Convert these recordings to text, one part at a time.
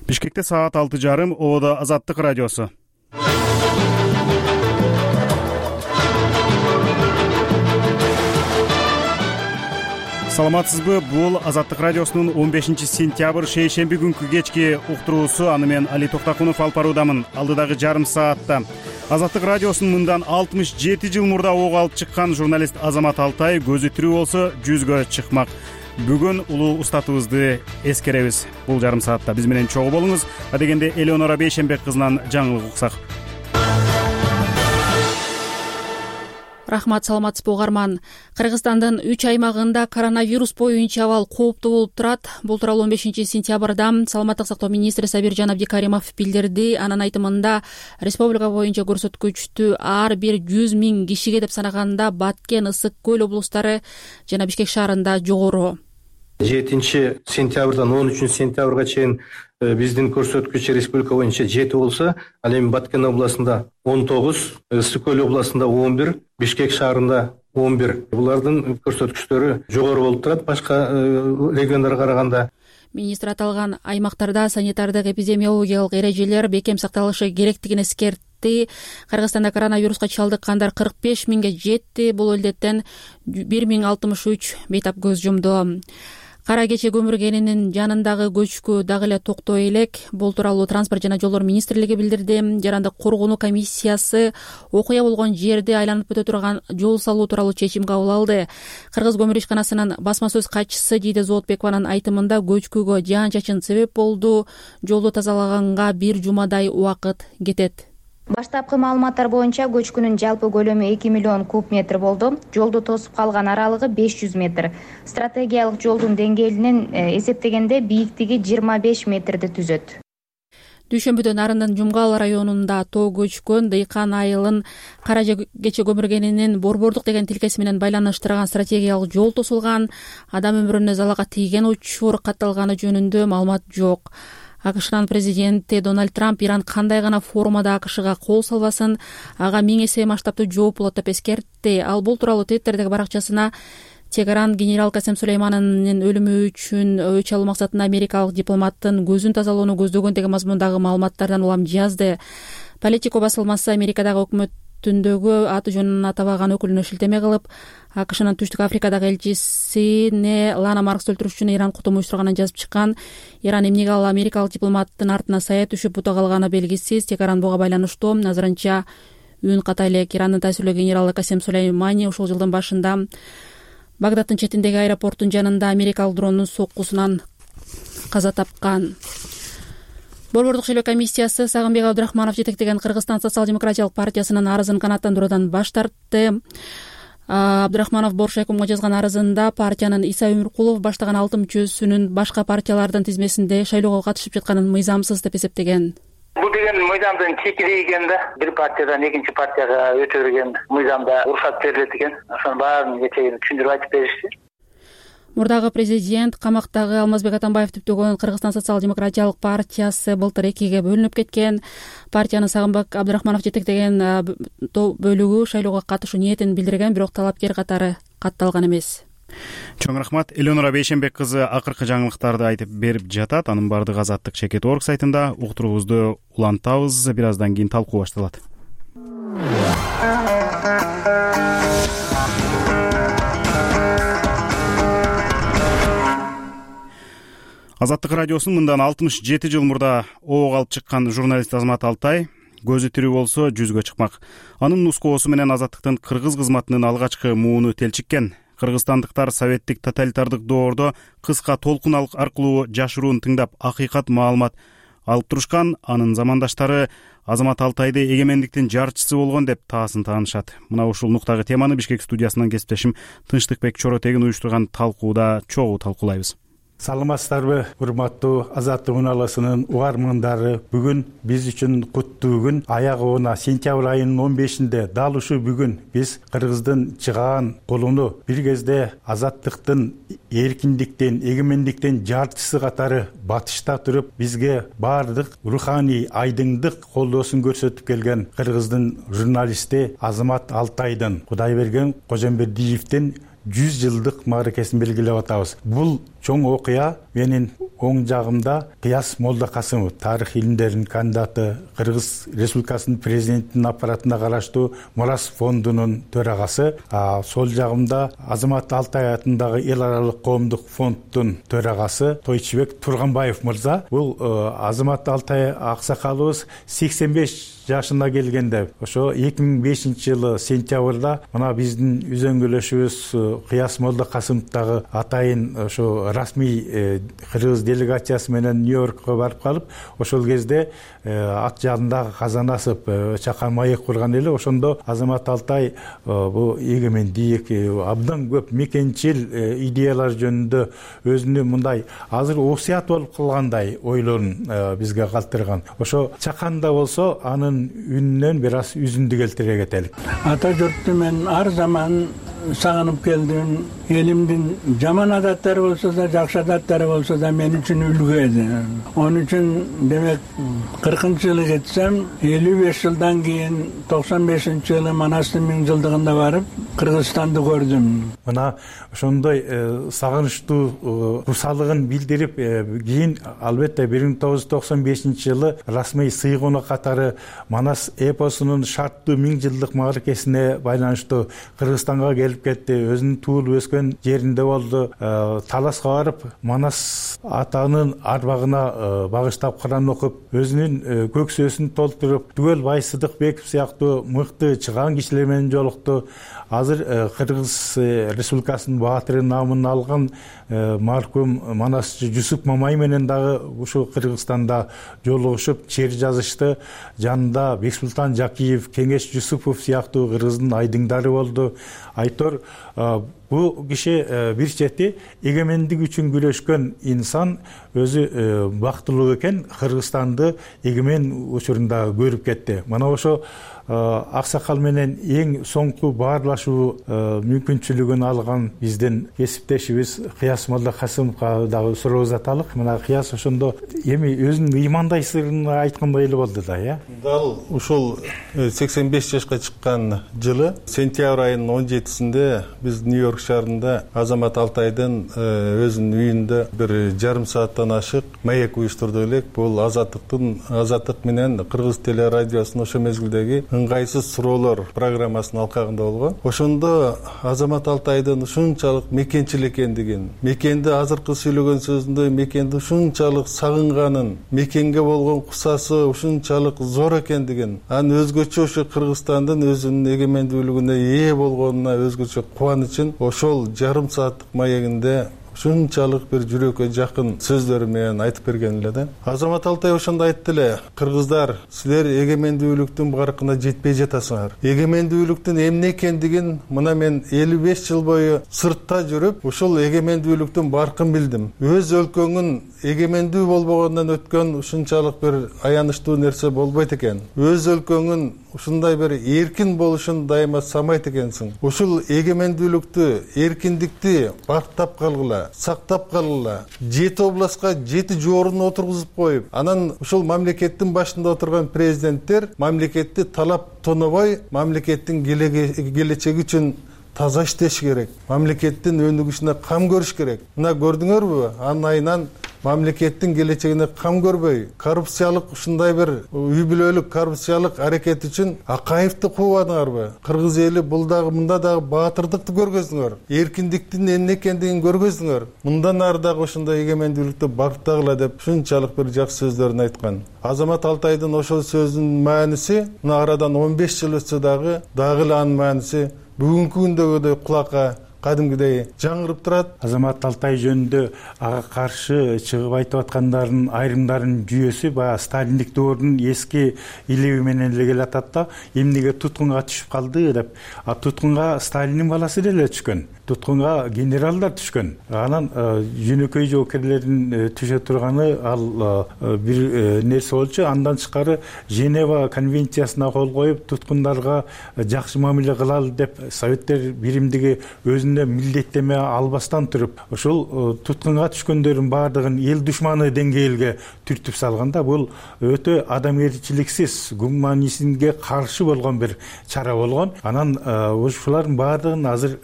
Бишкекте саат 6:30, Ободо Азаттык радиосу. Саламатсызбы? Бул Азаттык радиосунун 15-сентябрь шейшемби күнкү кечки уктуруусу. Аны мен Али Токтакунов алып баруудамын. Алдыдагы жарым саатта Азаттык радиосунун мындан 67 жыл мурда ок алып чыккан журналист Азамат Алтай көзү тирүү болсо жүзгө чыкмак. Бүгүн улуу устатыбызды эскеребиз. Бул жарым саатта биз менен чогуу болуңуз. Адегенде Элеонора Бейшенбек кызынан жаңылык уксак. Рахмат, саламатсызбы угарман. Кыргызстандын 3 аймагында коронавирус боюнча абал кооптуу болуп турат. Бул тууралуу 15-сентябрда Саламаттык сактоо министри Сабиржан Абдикаримов билдирди. Анын айтымында республика боюнча көрсөткүчтү ар бир 100 000 кишиге деп санаганда Баткен, Ысык көл облустары жана Бишкек шаарында жогору. 7-сентябрдан 13-сентябрга чейин биздин көрсөткүч республика боюнча 7 болсо, ал эми Баткен областында 19, Ысык көл областында 11, Бишкек шаарында 11. Булардын көрсөткүчтөрү жогору болуп турат башка региондорго караганда. Министр аталган аймактарда санитардык эпидемиологиялык эрежелер бекем сакталышы керектигин эскертти. Кыргызстанда коронавируска чалдыккандар 45 000ге жетти. Бул илдеттен 1063 бейтап көз жумду. Кара кече көмүргенинин жанындагы көчкү дагы эле токтой элек. Бул тууралуу Транспорт жана жолдор министрлиги билдирди. Жарандык коргонуу комиссиясы окуя болгон жерди айланып өтө турган жол салуу тууралуу чечим кабыл алды. Кыргыз көмүр ишканасынын басма сөз катчысы Жийде Зоотбекованын айтымында көчкүгө жаан-чачын себеп болду. Жолду тазалаганга 1 жумадай убакыт кетет. Баштапкы маалыматтар боюнча көчкүнүн жалпы көлөмү 2 миллион куб метр болду. Жолду тосуп калган аралыгы 500 метр. Стратегиялык жолдун деңгээлинен эсептегенде бийиктиги 25 метрди түзөт. Дүйшөмбүдө Нарындын Жумгал районунда тоо көчкөн Дыйкан айылын кара кече көмүргенинин борбордук деген тилкеси менен байланыштырган стратегиялык жол тосулган. Адам өмүрүнө залалга тийген учур катталганы жөнүндө маалымат жок. АКШнын президенти Дональд Трамп Иран кандай гана формада АКШга кол салбасын, ага 1000 эсе масштабтуу жооп болот деп эскертти. Ал бул тууралуу Твиттердеги баракчасына Тегеран генерал Касем Сулеймановдун өлүмү үчүн өч алуу максатында америкалык дипломаттын көзүн тазалоону көздөгөн деген мазмундагы маалыматтардан улам жазды. Политико басылмасы Америкадагы өкмөтүндөгү аты жөнүн атабаган өкүлүнө шилтеме кылып, АКШнын Түштүк Африкадагы элчисине Лана Маркс өлтүрүш үчүн Иран кутум уюштурганын жазып чыккан. Иран эмнеге ал америкалык дипломаттын артына сая түшүп бута калганы белгисиз. Тегеран буга байланыштуу. Азырынча үн ката элек. Ирандын таасирлүү генералы Касем Сулеймани ушул жылдын башында Багдадтын четиндеги аэропорттун жанында америкалык дронун соккусунан каза тапкан. Борбордук шайлоо комиссиясы Сагынбек Абдрахманов жетектеген Кыргызстан социал-демократиялык партиясынын арызын канааттандыруудан баш тартты. Абдрахманов Боршайкомго жазган арызында партиянын Иса Өмүркулов баштаган 6-мүчөсүнүн башка партиялардын тизмесинде шайлоого катышып жатканын мыйзамсыз деп эсептеген. Бул деген мыйзамдын чекири экен да. Бир партиядан экинчи партияга өтө берген мыйзамда уруксат берилет экен. Ошонун баарын кечээ түшүндүрүп айтып беришти. Мурдагы президент камактагы Алмазбек Атамбаев түптөгөн Кыргызстан социал-демократиялык партиясы былтыр 2-ге бөлүнүп кеткен. Партиянын Сагынбек Абдрахманов жетектеген бөлүгү шайлоого катышуу ниетин билдирген, бирок талапкер катары катталган эмес. Чоң рахмат. Элеонора Бейшенбек кызы акыркы жаңылыктарды айтып берип жатат. Анын бардыгы Азаттык Чекет.org сайтында. Уктуруубузду улантабыз. Бир аздан кийин талкуу башталат. Азаттык радиосунун мындан 67 жыл мурда ок алып чыккан журналист Азамат Алтай көзү тирүү болсо жүзгө чыкмак. Анын нускоосу менен Азаттыктын кыргыз кызматынын алгачкы мууну телчиккен. Кыргызстандыктар советтик тоталитардык доордо кыска толкун аркылуу жашыруун тыңдап акыйкат маалымат алып турушкан. Анын замандаштары Азамат Алтайды эгемендиктин жарчысы болгон деп таасын таанышат. Мына ушул нуктагы теманы Бишкек студиясынан кесиптешим Тынчтыкбек Чоротегин уюштурган талкууда чогуу талкуулайбыз. Саламатсыздарбы, урматтуу Азаттык унааласынын угармандары. Бүгүн биз үчүн куттуу күн. Аягына сентябрь айынын 15-inde дал ушул бүгүн биз Кыргыздын чыгаан колуну бир кезде азаттыктын, эркиндиктин, эгемендиктин жарчысы катары батышта туруп, бизге баардык руханий айдыңдык колдоосун көрсөтүп келген Кыргыздын журналисти Азамат Алтайдын, Кудайберген Кожомбердиевдин 100 жылдык мааракесин белгилеп атабыз. Бул чоң окуя менин оң жагымда Кыяс Молдокасымов, тарых илимдеринин кандидаты, Кыргыз Республикасынын президентинин аппаратына караштуу Мурас фондунун төрагасы. Сол жагымда Азамат Алтай атындагы эл аралык коомдук фонддун төрагасы Тойчубек Турганбаев мырза. Бул Азамат Алтай аксакалыбыз 85 жашына келгенде, ошо 2005-жылы сентябрда мына биздин үзөңгүлөшүбүз Кыяс Молдокасымовдагы атайын ошо расмий кыргыз делегациясы менен Нью-Йоркко барып калып, ошол кезде ат жаандагы Казанасов чакан маек курган эле. Ошондо Азамат Алтай бул эгемендик, абдан көп мекенчил идеялар жөнүндө өзүнүн мындай азыр осуят болуп калгандай ойлорун бизге калтырган. Ошо чаканда болсо анын үнүнөн бир аз үзүндү келтире кетелик. Ата журтту мен ар заман сагынып келдим. Элимдин жаман адаттары болсо да, жакшы адаттары болсо да мен үчүн үлгү эди. Onun үчүн демек 40-жылы кетсем, 55 жылдан кийин 95-жылы Манастын 1000 жылдыгында барып, Кыргызстанды көрдүм. Мына ошондой сагынычтуу курсалыгын билдирип, кийин албетте 1995-жылы расмий сыйгону катары Манас эпосунун шарттуу 1000 жылдык мааракесине байланыштуу Кыргызстанга келип кетти. Өзүнүн туулуп өскөн жеринде болду. Таласка барып, Манас атанын арбагына багыштап Куран окуп, өзүнүн көксөсүн толтуруп, түгөл Байсыдыкбеков сыяктуу мыкты чыган кишилер менен жолукту. Азыр Кыргыз Республикасынын баатыры намын алган маркум Манасчы Жусуп Мамай менен дагы ушул Кыргызстанда жолугушуп, чер жазышты. Жанында Бексултан Жакиев, Кеңеш Жусупов сыяктуу Кыргыздын айдыңдары болду. Айтор бул киши бир чети эгемендик үчүн күрөшкөн инсан, өзү бактылуу экен, Кыргызстанды эгемен учурунда көрүп кетти. Мана ошо аксакал менен эң соңку баарлашуу мүмкүнчүлүгүн алган биздин кесиптешибиз Кыяс Молдокасымовго дагы суроо узаталык. Мына Кыяс ошондо эми өзүнүн ыймандай сырын айткандай эле болду да, Дал ушул 85 жашка чыккан жылы сентябрь айынын 17-синде биз Нью-Йорк шаарында Азамат Алтайдын өзүнүн үйүндө бир жарым сааттан ашык маек уюштурду элек. Бул Азаттык менен Кыргыз телерадиосунун ошо мезгилдеги ыңгайсыз суроолор программасынын алкагында болгон. Ошондо Азамат Алтайдын ушунчалык мекенчил экендигин, мекенди азыркы сүйлөгөн сөзүндө мекенди ушунчалык сагынганын, мекенге болгон кусасы ушунчалык зор экендигин, анын өзгөчө ошо Кыргызстандын өзүнүн эгемендүүлүгүнө ээ болгонуна өзгөчө кубанычын ошол жарым сааттык маегинде ушунчалык бир жүрөккө жакын сөздөрү менен айтып берген эле да. Азамат Алтай ошондо айтты эле: кыргыздар, силер эгемендүүлүктүн баркына жетпей жатасыңар. Эгемендүүлүктүн эмне экендигин мына мен 55 жыл бою сыртта жүрүп, ушул эгемендүүлүктүн баркын билдим. Өз өлкөңүн эгемендүү болбогондон өткөн ушунчалык бир аянычтуу нерсе болбойт экен. Өз өлкөңүн ушундай бир эркин болушун дайыма самайт экенсиң. Ушул эгемендүүлүктү, эркиндикти бактап калгыла, сактап калгыла. 7 областка 7 жоорун отургузуп коюп, анан ушул мамлекеттин башында отурган президенттер мамлекетти талап тонобой, мамлекеттин келечеги үчүн таза иштеш керек. Мамлекеттин өнүгүшүнө кам көрүш керек. Мына көрдүңөрбү? Анын айынан мамлекеттин келечегине кам көрбөй, коррупциялык ушундай бир үй бүлөлүк коррупциялык аракет үчүн Акаевди куубадыңарбы? Кыргыз эли бул дагы мында дагы баатырдыкты көргөздүңөр. Эркиндиктин эмне экендигин көргөздүңөр. Мындан ары дагы ошондой эгемендүүлүктү бактагыла деп ушунчалык бир жакшы сөздөрүн айткан. Азамат Алтайдын ошол сөзүнүн мааниси мына арадан 15 жыл өтсө дагы эле анын мааниси бүгүнкү күндөгүдөй кулакка кадимгидей жаңырып турат. Азамат Алтай жөнүндө ага каршы чыгып айтып аткандардын айрымдарынын жүйөсү баягы сталиндик доордун эски илеби менен эле келатат да, эмнеге туткунга түшүп калды деп. Туткунга Сталиндин баласы эле түшкөн. Туткунга генералдар түшкөн. Анан жөнөкөй жоокерлердин түшө турганы ал бир нерсе болчу. Андан тышкары Женева конвенциясына кол коюп, туткундарга жакшы мамиле кылалы деп Советтер биримдиги өзүнө милдеттеме албастан туруп, ошол туткунга түшкөндөрдүн баардыгын эл душманы деңгээлге түртүп салганда, бул өтө адамгерчиликсиз, гуманизмге каршы болгон бир чара болгон. Анан ушулардын баардыгын азыр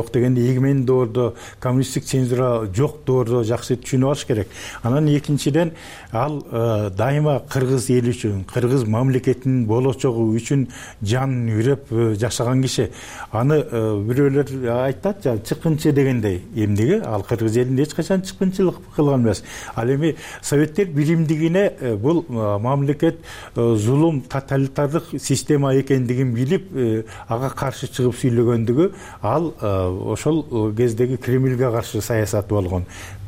жок дегенде эгемендик доордо коммунисттик цензура жок доордо жакшы түшүнүп алыш керек. Анан экинчиден ал дайыма кыргыз эли үчүн, кыргыз мамлекетинин болочогу үчүн жанын үрөп жашаган киши. Аны бирөөлөр айтат, чыккынчы дегендей. Эмнеге? Ал кыргыз элинде эч качан чыккынчылык кылган эмес. Ал эми Советтер биримдигине бул мамлекет зулум, тоталитардык система экендигин билип, ага каршы чыгып сүйлөгөндүгү ал ошол кездеги Кремльге каршы саясат болгон.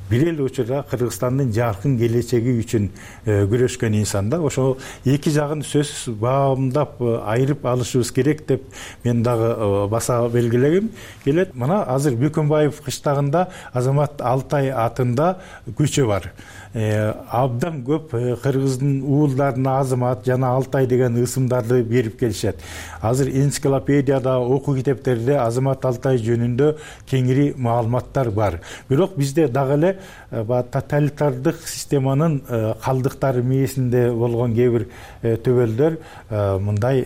Бир эле учурда Кыргызстандын жаркын келечеги үчүн күрөшкөн инсан да. Ошол эки жагын сөзсүз баамдап айырып алышыбыз керек деп мен дагы баса белгилегим келет. Мына азыр Бөкөнбаев кыштагында Азамат Алтай атында көчө бар. Абдан көп кыргыздын уулдарына Азамат жана Алтай деген ысымдарды берип келишет. Азыр энциклопедияда, окуу китептерде Азамат Алтай жөнүндө кеңири маалыматтар бар. Бирок бизде дагы эле тоталитардык системанын калдыктары мээсинде болгон кээ бир төбөлдөр мындай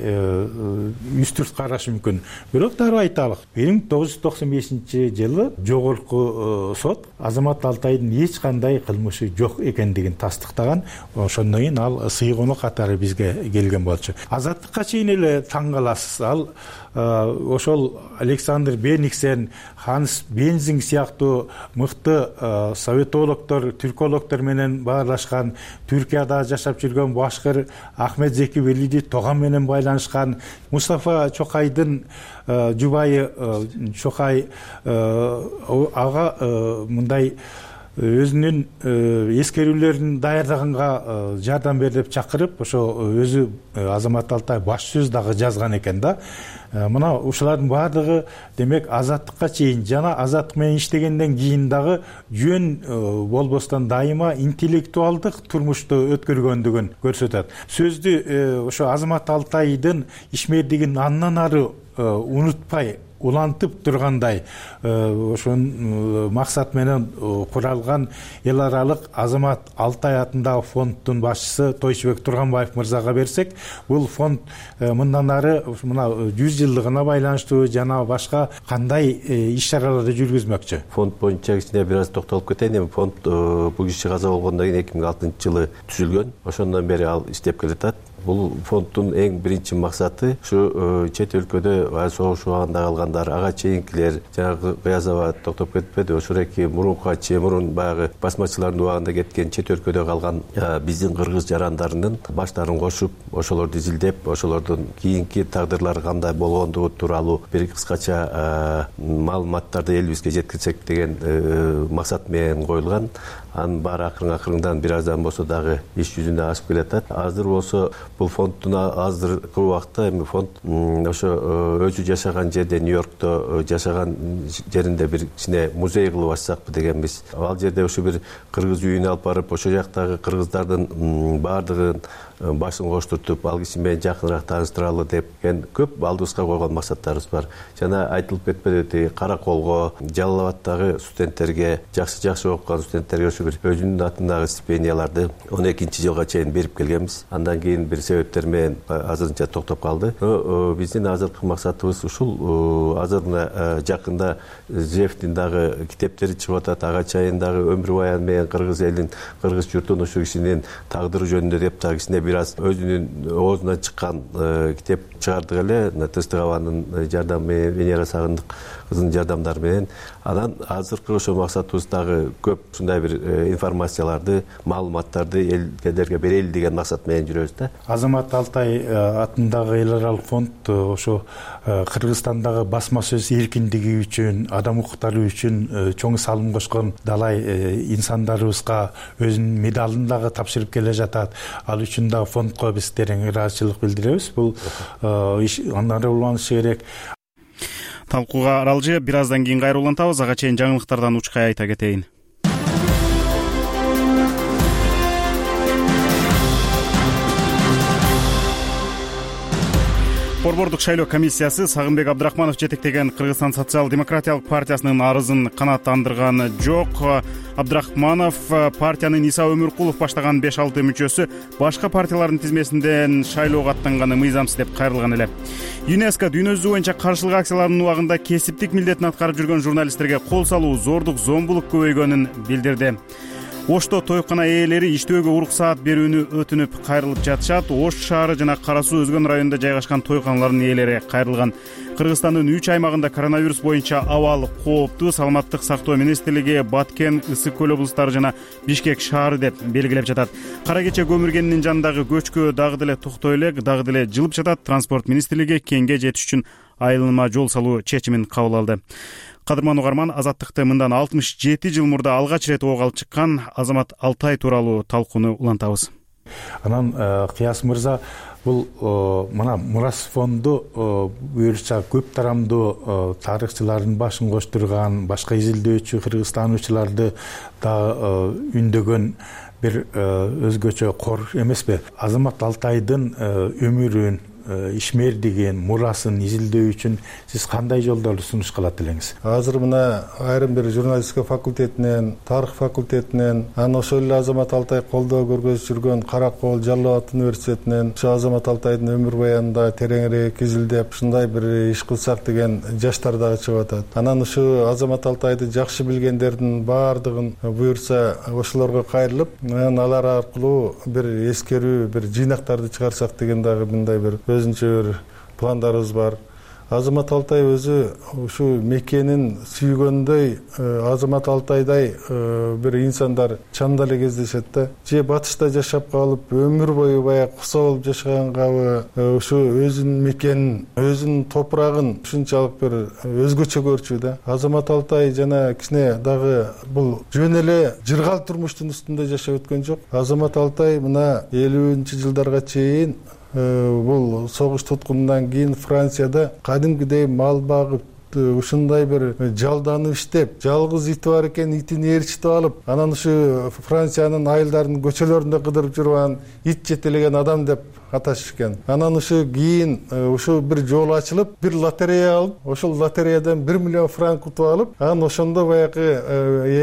үстүрт карашы мүмкүн. Бирок дагы айталык, 1995-жылы жогорку сот Азамат Алтайдын эч кандай кылмышы жок экендигин тастыктаган. Ошондон кийин ал сыйгону катары бизге келген болчу. Азаттыкка чейин эле таң каласыз. Ал ошол Александр Бениксен, Ханс Бензинг сыяктуу мыкты советологдор, түркологдор менен баарлашкан, Түркияда жашап жүргөн башкыр Ахмет Зеки Велиди Тоган менен байланышкан, Мустафа Чокайдын жубайы Чокай ага мындай өзүнүн эскерүүлөрүн даярдаганга жардам бер деп чакырып, ошо өзү Азамат Алтай баш сөз дагы жазган экен да. Мына ушулардын баардыгы демек азаттыкка чейин жана азаттык менен иштегенден кийин дагы жөн болбостон дайыма интеллектуалдык турмушту өткөргөндүгүн көрсөтөт. Сөздү ошо Азамат Алтайдын ишмердигин андан ары унутпай улантып тургандай ошон максат менен куралган эл аралык Азамат Алтай атындагы фонддун башчысы Тойчубек Турганбаев мырзага берсек, бул фонд мындан ары мына 100 жылдыгына байланыштуу жана башка кандай иш-чараларды жүргүзмөкчү? Фонд боюнча кичине бир аз токтолуп кетейин. Эми фонд бул киши каза болгондон кийин 2006-жылы түзүлгөн. Ошондон бери ал иштеп келатат. Бул фонддун эң биринчи максаты ушу чет өлкөдө согуш убагында калгандар, ага чейинкилер, жанагы Кыязова токтоп кетпеди, ошореки мурунку мурун баягы басмачылардын убагында кеткен чет өлкөдө калган биздин кыргыз жарандарынын баштарын кошуп, ошолорду изилдеп, ошолордун кийинки тагдырлары кандай болгондугу тууралуу бир кыскача маалыматтарды элибизге жеткирсек деген максат менен коюлган. Анын баары акырын-акырындан бир аздан болсо дагы иш жүзүнө ашып келатат. Азыр болсо бул фонддун азыркы убакта эми фонд ошо өзү жашаган жерде, Нью-Йоркто жашаган жеринде бир кичине музей кылып ачсакпы дегенбиз. Ал жерде ушу бир кыргыз үйүнө алып барып, ошол жактагы кыргыздардын баардыгын башын коштуртуп, ал киши менен жакыныраак тааныштыралы депкен көп алдыбызга койгон максаттарыбыз бар. Жана айтылып кетпеди, Караколго, Жалал Абадтагы студенттерге, жакшы окуган студенттерге ушу бир өзүнүн атындагы стипендияларды 12-жылга чейин берип келгенбиз. Андан кийин бир себептер менен азырынча токтоп калды. Биздин азыркы максатыбыз ушул. Азыр жакында Зевдин дагы китептери чыгып атат. Ага чейин дагы өмүр баян менен кыргыз элин, кыргыз журтун ушу кишинин тагдыры жөнүндө деп дагы кичине бир аз өзүнүн оозунан чыккан китеп чыгардык эле. Тыстыгабанын жардамы менен, Венера Сагындык кыздын жардамдары менен. Анан азыркы ошо максатыбыз дагы көп ушундай бир информацияларды, маалыматтарды элдерге берели деген максат менен жүрөбүз да. Азамат Алтай атындагы эл аралык фонд ошо Кыргызстандагы басма сөз эркиндиги үчүн, адам укуктары үчүн чоң салым кошкон далай инсандарыбызга өзүнүн медалын дагы тапшырып келе жатат. Ал үчүн дагы фондко биз терең ыраазычылык билдиребиз. Бул аны уланышы керек. Талкууга аралжы бир аздан кийин кайра улантабыз. Ага чейин жаңылыктардан учкай айта кетейин. Борбордук шайлоо комиссиясы Сагынбек Абдрахманов жетектеген Кыргызстан социал-демократиялык партиясынын арызын канааттандырган жок. Абдрахманов партиянын Иса Өмүркулов баштаган 5-6 мүчөсү башка партиялардын тизмесинден шайлоого аттанганы мыйзамсыз деп кайрылган эле. ЮНЕСКО дүйнө жүзү боюнча каршылык акцияларынын убагында кесиптик милдетин аткарып жүргөн журналисттерге кол салуу, зордук, зомбулук көбөйгөнүн билдирди. Ошто тойкана ээлери иштөөгө уруксаат берүүнү өтүнүп кайрылып жатышат. Ош шаары жана Кара Суу өзгөн районунда жайгашкан тойканалардын ээлери кайрылган. Кыргызстандын 3 аймагында коронавирус боюнча абал кооптуу. Саламаттык сактоо министрлиги Баткен, Ысык көл облустары жана Бишкек шаары деп белгилеп жатат. Кара кече көмүргенинин жанындагы көчкө дагы деле токтой элек, дагы деле жылып жатат. Транспорт министрлиги кеңге жетиш үчүн айылма жол салуу чечимин кабыл алды. Кадырман угарман, Азаттыкты мындан 67 жыл мурда алгач ирет ого алып чыккан Азамат Алтай тууралуу талкууну улантабыз. Анан Кыяс мырза, бул мына Мурас фонду буюрса көп тарамдуу тарыхчылардын башын коштурган, башка изилдөөчү кыргызстануучуларды да үндөгөн бир өзгөчө кор эмеспи? Азамат Алтайдын өмүрүн, ишмердигин, мурасын изилдөө үчүн сиз кандай жолдорду сунуш кылат элеңиз? Азыр мына айрым бир журналистика факультетинен, тарых факультетинен, анан ошол эле Азамат Алтай колдоо көргөзүп жүргөн Кара Кол Жалал Абад университетинен ошо Азамат Алтайдын өмүр баянында тереңирээк изилдеп, ушундай бир иш кылсак деген жаштар дагы чыгып атат. Анан ушу Азамат Алтайды жакшы билгендердин баардыгын буюрса ошолорго кайрылып, анан алар аркылуу бир эскерүү, бир жыйнактарды чыгарсак деген дагы мындай бир өзүнчө бир пландарыбыз бар. Азамат Алтай өзү ушу мекенин сүйгөндөй, Азамат Алтайдай бир инсандар чамда эле кездешет да. Же батышта жашап калып, өмүр бою баягы куса болуп жашагангабы, ушу өзүнүн мекенин, өзүнүн топурагын ушунчалык бир өзгөчө көрчү да. Азамат Алтай жана кичине дагы бул жөн эле жыргал турмуштун үстүндө жашап өткөн жок. Азамат Алтай мына 50-жылдарга чейин бул согуш туткунунан кийин Францияда кадимкидей мал багып, ушундай бир жалданып иштеп, жалгыз ити бар экен, итин ээрчитип алып, анан ушу Франциянын айылдарынын көчөлөрүндө кыдырып жүргөн ит жетелеген адам деп аташышкен. Анан ушу кийин ушу бир жол ачылып, бир лотерея алып, ошол лотереядан 1 миллион франк утуп алып, анан ошондо баягы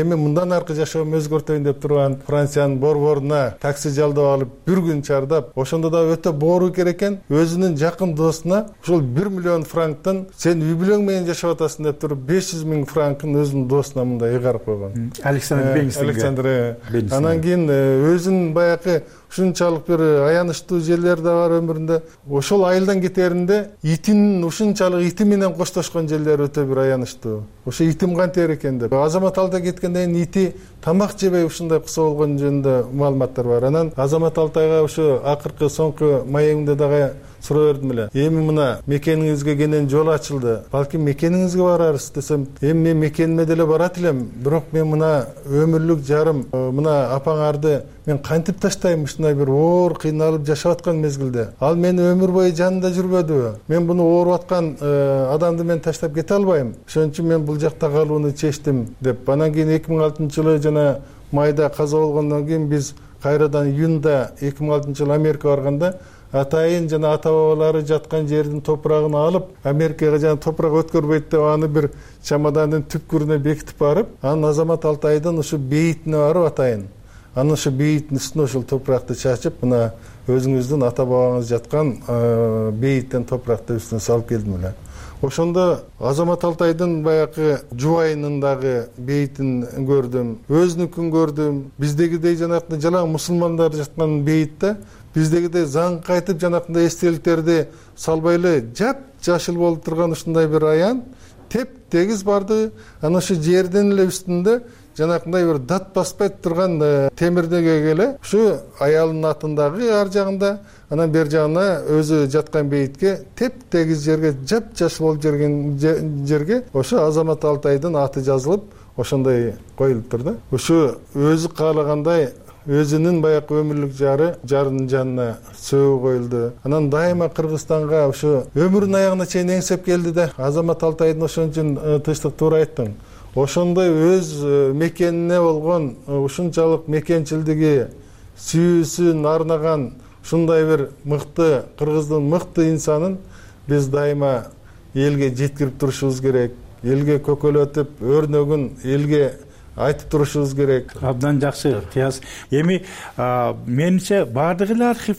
эми мындан аркы жашоомду өзгөртөйүн деп турган Франциянын борборуна такси жалдап алып, бир күн чардап, ошондо да өтө боору керек экен, өзүнүн жакын досуна ошол 1 миллион франктан сен үй бүлөң менен жашап атасың деп туруп 500 000 франкын өзүнүн досуна мындай ыйгарып койгон. Александр. Анан кийин өзүнүн баягы ушунчалык бир аянычтуу жерлер да бар өмүрүндө. Ошол айылдан кетеринде итин ушунчалык ити менен коштошкон жерлер өтө бир аянычтуу. Ошо итим кантер экен деп. Азамат Алтай кеткенден кийин ити тамак жебей ушундай куса болгон жөнүндө маалыматтар бар. Анан Азамат Алтайга ошо акыркы соңку маегимде дагы суроо бердим эле. Эми мына мекениңизге кенен жол ачылды. Балким мекениңизге барарсыз десем, эми мен мекениме деле барат элем, бирок мен мына өмүрлүк жарым, мына апаңарды мен кантип таштайм ушундай бир оор кыйналып жашап аткан мезгилде. Ал мени өмүр бою жанында жүрбөдүбү? Мен буну ооруп аткан адамды мен таштап кете албайм. Ошон үчүн мен бул жакта калууну чечтим деп. Анан кийин 2006-жылы жана майда каза болгондон кийин биз кайрадан июнда 2006-жылы Америкага барганда атайын жана ата бабалары жаткан жердин топурагын алып, Америкага жана топурак өткөрбөйт деп аны бир чамадандын түпкүрүнө бекитип барып, анан Азамат Алтайдын ушу бейитине барып атайын. Анан ушу бейиттин үстүнө ошол топуракты чачып, мына өзүңүздүн ата бабаңыз жаткан бейиттен топуракты үстүнө салып келдим эле. Ошондо Азамат Алтайдын баягы жубайынын дагы бейитин көрдүм, өзүнүкүн көрдүм. Биздегидей жанакындай жалаң мусулмандар жаткан бейитте биздегидей заң кайтып жанакындай эстеликтерди салбай эле жап-жашыл болуп турган ушундай бир аян теп-тегиз барды. Анан ошо жердин эле үстүндө жанакындай бир дат баспай турган темирдеге эле ушу аялынын атындагы ар жагында, анан бер жагына өзү жаткан бейитке теп-тегиз жерге жап-жашыл болуп жүргөн жерге ошо Азамат Алтайдын аты жазылып, ошондой коюлуптур да. Ушу өзү каалагандай өзүнүн баягы өмүрлүк жарынын жанына сөөгү коюлду. Анан дайыма Кыргызстанга ушу өмүрүнүн аягына чейин эңсеп келди да. Азамат Алтайдын ошон үчүн тынчтык туура айттың. Ошондой өз мекенине болгон ушунчалык мекенчилдиги, сүйүүсүн арнаган ушундай бир мыкты Кыргыздын мыкты инсанын биз дайыма элге жеткирип турушубуз керек, элге көкөлөтүп өрнөгүн элге айтып турушубуз керек. Абдан жакшы Кыяз. Эми менимче баардык эле архив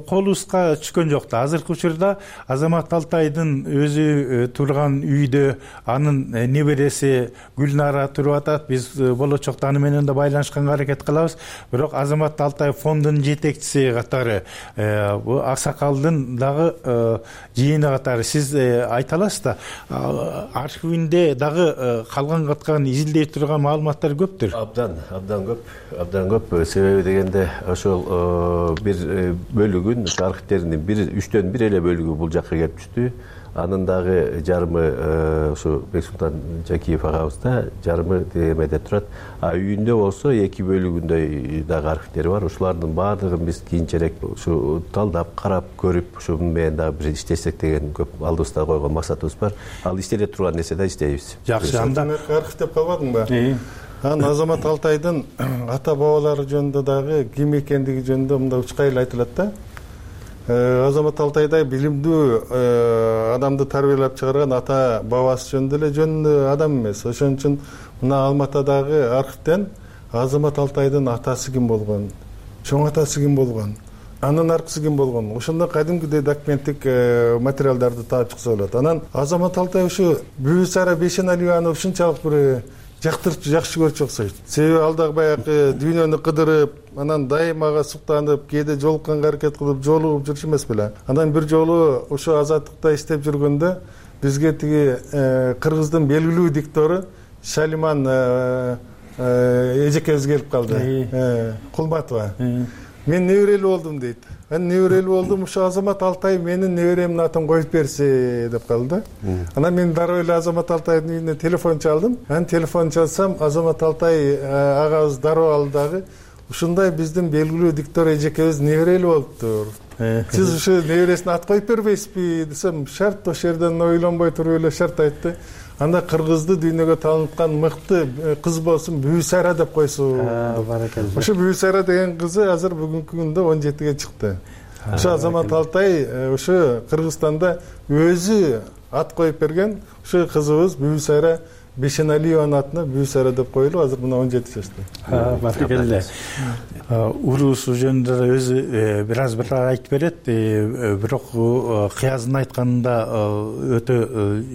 колубузга түшкөн жок да. Азыркы учурда Азамат Алтайдын өзү турган үйдө анын небереси Гүлнара туруп атат. Биз болочокто аны менен да байланышканга аракет кылабыз. Бирок Азамат Алтай фондунун жетекчиси катары, бул аксакалдын дагы жыйыны катары сиз айта аласыз да, архивинде дагы калган каткан изилдей турган маалымат көптүр. Абдан көп. Себеби дегенде ошол бир бөлүгүн, архивтердин 3/1 эле бөлүгү бул жакка келип түштү. Анын дагы жарымы ушу Бексултан Жакиев агабызда, жарымы эмеде турат. Үйүндө болсо 2 бөлүгүндөй дагы архивтери бар. Ушулардын баардыгын биз кийинчерээк ушу талдап, карап, көрүп, ушу менен дагы бир иштесек деген көп алдыбызда койгон максатыбыз бар. Ал иштеле турган нерсе да иштейбиз. Жакшы, анда архив деп калбадыңбы? Азамат Алтайдын ата бабалары жөнүндө дагы ким экендиги жөнүндө мындай учкайыл айтылат да. Азамат Алтайдай билимдүү адамды тарбиялап чыгарган ата бабасы жөнүндө эле жөн адам эмес. Ошон үчүн мына Алматадагы архивден Азамат Алтайдын атасы ким болгон, чоң атасы ким болгон, анын аркысы ким болгон, ошондой кадимкидей документтик материалдарды таап чыкса болот. Анан Азамат Алтай ушу Бүбүсара Бейшеналиеваны ушунчалык бир жактырчу, жакшы көрчү окшойт. Себеби ал дагы баягы дүйнөнү кыдырып, анан дайымага суктанып, кээде жолукканга аракет кылып, жолугуп жүрчү эмес беле. Анан бир жолу ушу азаттыкта иштеп жүргөндө бизге тиги кыргыздын белгилүү диктору Шалиман эжекебиз келип калды. Кулматова. Мен неберелүү болдум дейт. Мен неберелүү болдум, ушу Азамат Алтай менин неберемдин атын коюп берси деп калды. Анан мен дароо эле Азамат Алтайдын үйүнө телефон чалдым. Анан телефон чалсам, Азамат Алтай агабыз дароо алдыдагы ушундай биздин белгилүү диктор эжекебиз неберелүү болуптур. Сиз ушу небересине ат коюп бербейсизби десем, шарт ошол жерден ойлонбой туруп эле шарт айтты. Анда кыргызды дүйнөгө тааныткан мыкты кыз болсун, Бүбүсара деп койсун. Ошо Бүбүсара деген кызы азыр бүгүнкү күндө 17-ге чыкты. Ошо Азамат Алтай ошо Кыргызстанда өзү ат коюп берген. Ошо кызыбыз Бүбүсара Бейшеналиеванын атына Бүбүсара деп коюлуп, азыр мына 17 жашта. Баракелде. Уруусу жөнүндө өзү бир аз айтып берет. Бирок Кыяздын айтканында өтө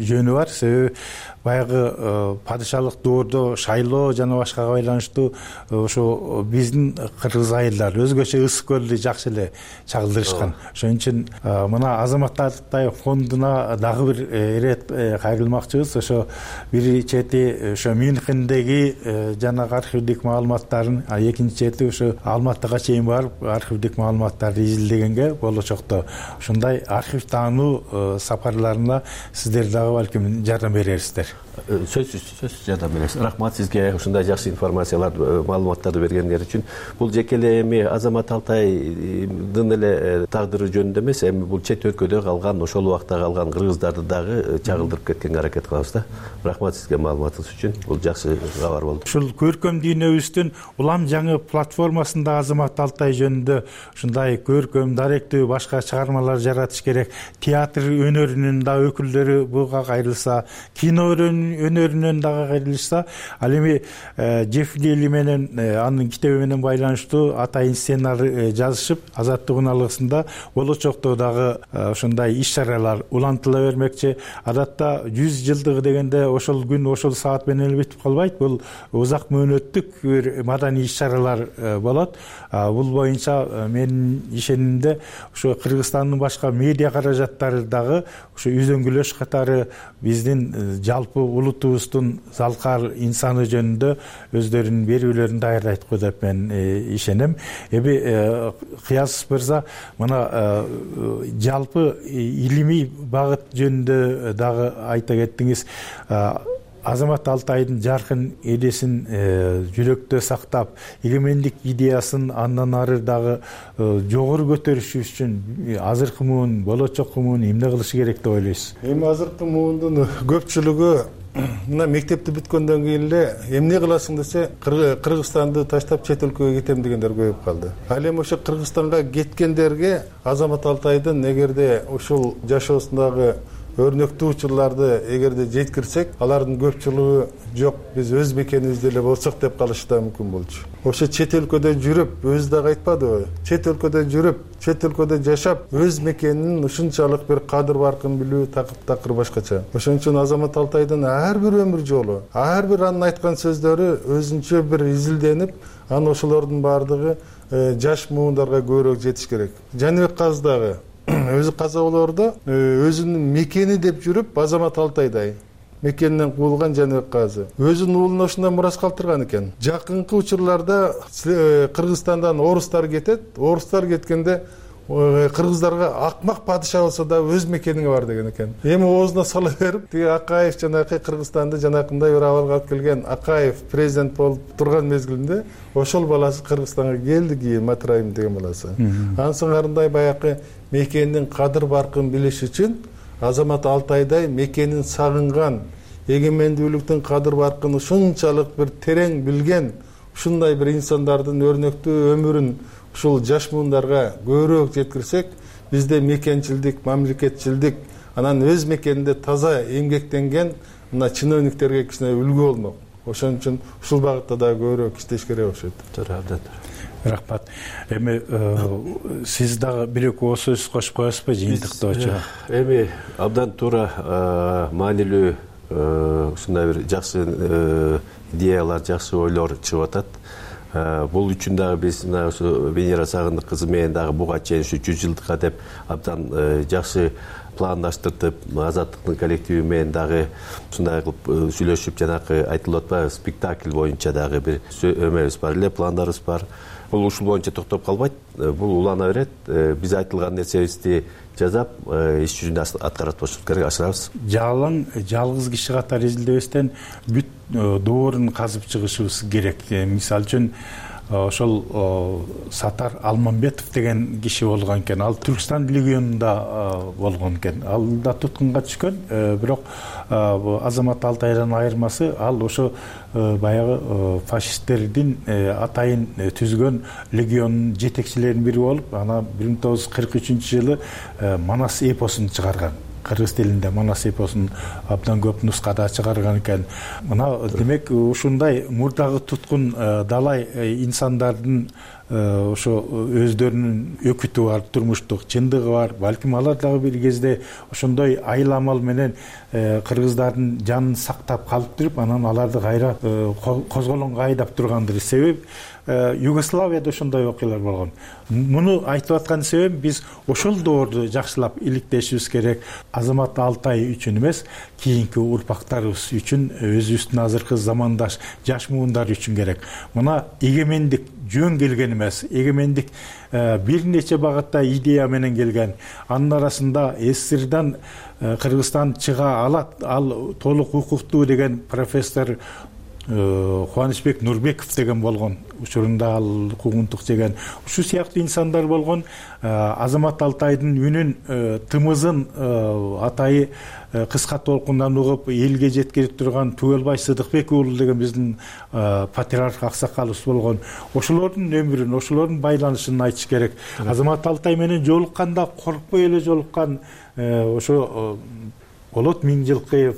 жөнү бар. Себеби баягы падышалык доордо шайлоо жана башкага байланыштуу ошо биздин кыргыз айылдары өзгөчө ысык көлдү жакшы эле чагылдырышкан. Ошон үчүн мына Азамат Алтай фондуна дагы бир ирет кайрылмакчыбыз. Ошо бир чети ошо Мюнхендеги жанагы архивдик маалыматтарын, экинчи чети ошо Алматыга чейин барып архивдик маалыматтарды изилдегенге болочокто ушундай архив таануу сапарларына сиздер дагы балким жардам берерсиздер. Сөзсүз жардам беребиз. Рахмат сизге ушундай жакшы информациялар, маалыматтарды бергендер үчүн. Бул жеке эле эми Азамат Алтайдын эле тагдыры жөнүндө эмес, эми бул чет өлкөдө калган, ошол убакта калган кыргыздарды дагы чагылдырып кеткенге аракет кылабыз да. Рахмат сизге маалыматыңыз үчүн. Бул жакшы кабар болду. Ушул көркөм дүйнөбүздүн улам жаңы платформасында Азамат Алтай жөнүндө ушундай көркөм, даректүү башка чыгармалар жаратыш керек. Театр өнөрүнүн да өкүлдөрү буга кайрылса, кино өнөрүнөн дагы кайрылышса, ал эми Жефлили менен анын китеби менен байланыштуу атайын сценарий жазышып, Азаттык унаалыгында болочокто дагы ошондой иш-чаралар улантыла бермекчи. Адатта 100 жылдыгы дегенде ошол күн, ошол саат менен эле бүтүп калбайт. Бул узак мөөнөттүк бир маданий иш-чаралар болот. Бул боюнча менин ишенимимде ошо Кыргызстандын башка медиа каражаттары дагы ошо үзөңгүлөш катары биздин жалпы улутубуздун залкар инсаны жөнүндө өздөрүнүн берүүлөрүн даярдайт го деп мен ишенем. Эми Кыяз мырза мына жалпы илимий багыт жөнүндө дагы айта кеттиңиз. Азамат Алтайдын жаркын элесин жүрөктө сактап, эгемендик идеясын андан ары дагы жогору көтөрүш үчүн азыркы муун, болочок муун эмне кылыш керек деп ойлойсуз? Эми азыркы муундун көпчүлүгү мына мектепти бүткөндөн кийин эле эмне кыласың десе Кыргызстанды таштап чет өлкөгө кетем дегендер көбөйүп калды. Ал эми ошо Кыргызстанга кеткендерге Азамат Алтайдын эгерде ушул жашоосундагы өрнөктүү учурларды эгерде жеткирсек, алардын көпчүлүгү жок, биз өз мекенибизде эле болсок деп калышы да мүмкүн болчу. Ошо чет өлкөдө жүрүп, өзү дагы айтпадыбы? Чет өлкөдө жүрүп, чет өлкөдө жашап, өз мекенинин ушунчалык бир кадыр баркын билүү такыр башкача. Ошон үчүн Азамат Алтайдын ар бир өмүр жолу, ар бир анын айткан сөздөрү өзүнчө бир изилденип, анан ошолордун баардыгы жаш муундарга көбүрөөк жетиш керек. Жаныбек Казы дагы өзү каза болоордо өзүнүн мекени деп жүрүп, Азамат Алтайдай мекенинен куулган Жаныбек Казы өзүнүн уулуна ушундай мурас калтырган экен. Жакынкы учурларда Кыргызстандан орустар кетет, орустар кеткенде кыргыздарга акмак падыша болсо да өз мекениңе бар деген экен. Эми оозуна сала берип, тиги Акаев жанакы Кыргызстанды жанакындай бир абалга алып келген Акаев президент болуп турган мезгилинде ошол баласы Кыргызстанга келди, кийин Матраим деген баласы. Ансыңарындай баягы мекенин кадыр баркын билиш үчүн Азамат Алтайдай мекенин сагынган, эгемендүүлүктүн кадыр баркын ушунчалык бир терең билген, ушундай бир инсандардын өрнөктүү өмүрүн ушул жаш муундарга көбүрөөк жеткирсек, бизде мекенчилдик, мамлекетчилдик, анан өз мекенинде таза эмгектенген мына чиновниктерге кичине үлгү болмок. Ошон үчүн ушул багытта да көбүрөөк иштеш керек окшойт. Туура, абдан. Рахмат. Эми сиз дагы бир-эки ооз сөз кошуп коесузбу жыйынтыктоочу? Эми абдан туура, маанилүү ушундай бир жакшы идеялар, жакшы ойлор чыгып атат. Бул үчүн дагы биз мына ушу Венера Сагындык кызы менен дагы буга чейин ушу 100 жылдыкка деп абдан жакшы пландаштыртып, Азаттыктын коллективи менен дагы ушундай кылып сүйлөшүп, жанакы айтылып атпайбы, спектакль боюнча дагы бир өмөрүбүз бар эле, пландарыбыз бар. Бул ушул боюнча токтоп калбайт, бул улана берет. Биз айтылган нерсебизди жазап, иш жүзүндө аткарып бошубуз керек, ашырабыз. Жалгыз киши катары изилдебестен бүт доорун казып чыгышыбыз керек. Мисалы үчүн ошол Сатар Алмамбетов деген киши болгон экен. Ал Түркстан легионунда болгон экен. Ал да туткунга түшкөн, бирок Азамат Алтайдан айырмасы ал ошо баягы фашисттердин атайын түзгөн легионунун жетекчилеринин бири болуп, ана 1943-жылы Манас эпосун чыгарган. Кыргыз тилинде Манас эпосун абдан көп нускада чыгарган экен. Мына демек ушундай мурдагы туткун далай инсандардын ошо өздөрүнүн өкүтү бар, турмуштук чындыгы бар. Балким алар дагы бир кезде ошондой айламал менен кыргыздардын жанын сактап калып туруп, анан аларды кайра козголоңго айдап тургандыр. Себеби Югославияда ошондой окуялар болгон. Муну айтып аткан себебим биз ошол доорду жакшылап иликтешибиз керек. Азамат Алтай үчүн эмес, кийинки урпактарыбыз үчүн, өзүбүздүн азыркы замандаш жаш муундар үчүн керек. Мына эгемендик жөн келген эмес. Эгемендик бир нече багытта идея менен келген. Анын арасында СССРдан Кыргызстан чыга алат, ал толук укуктуу деген профессор Кубанычбек Нурбеков деген болгон. Учурунда ал куугунтук жеген. Ушу сыяктуу инсандар болгон. Азамат Алтайдын үнүн, тымызын атайы кыска толкундан угуп элге жеткирип турган Түгөлбай Сыдыкбек уулу деген биздин патриарх аксакалыбыз болгон. Ошолордун өмүрүн, ошолордун байланышын айтыш керек. Азамат Алтай менен жолукканда коркпой эле жолуккан ошо Болот Миңжилкыев,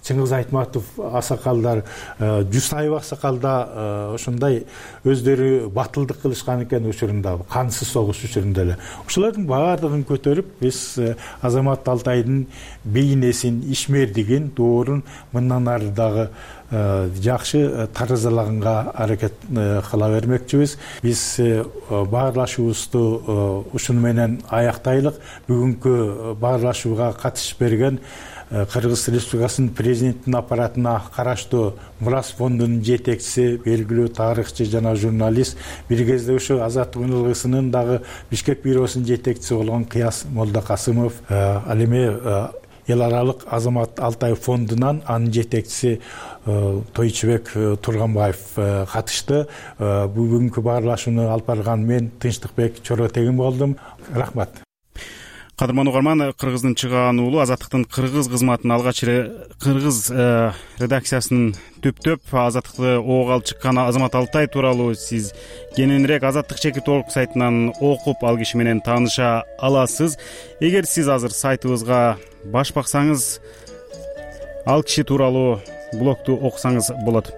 Чыңгыз Айтматов аксакалдар, Жусаев аксакалда ошондой өздөрү батылдык кылышкан экен учурунда, кансыз согуш учурунда эле. Ошолордун баардыгын көтөрүп, биз Азамат Алтайдын бейнесин, ишмердигин, доорун мындан ары дагы жакшы таразалаганга аракет кыла бермекчибиз. Биз баарлашуубузду ушуну менен аяктайлык. Бүгүнкү баарлашууга катышып берген Кыргыз Республикасынын президенттин аппаратына караштуу Мурас фондунун жетекчиси, белгилүү тарыхчы жана журналист, бир кезде ошо Азаттык УНЛГсынын дагы Бишкек бюросунун жетекчиси болгон Кыяс Молдокасымов, ал эми эл аралык Азамат Алтай фондунан анын жетекчиси Тойчубек Турганбаев катышты. Бүгүнкү баарлашууну алып барган мен Тынчтыкбек Чоротегин болдум. Рахмат. кадырман угарман, Кыргыздын чыгаан уулу Азаттыктын кыргыз кызматын алгач кыргыз редакциясынын түптөп Азаттыкты ого алып чыккан Азамат Алтай тууралуу сиз кененирээк Азаттык чекит орг сайтынан окуп ал киши менен тааныша аласыз. Эгер сиз азыр сайтыбызга баш баксаңыз, ал киши тууралуу блогду окусаңыз болот.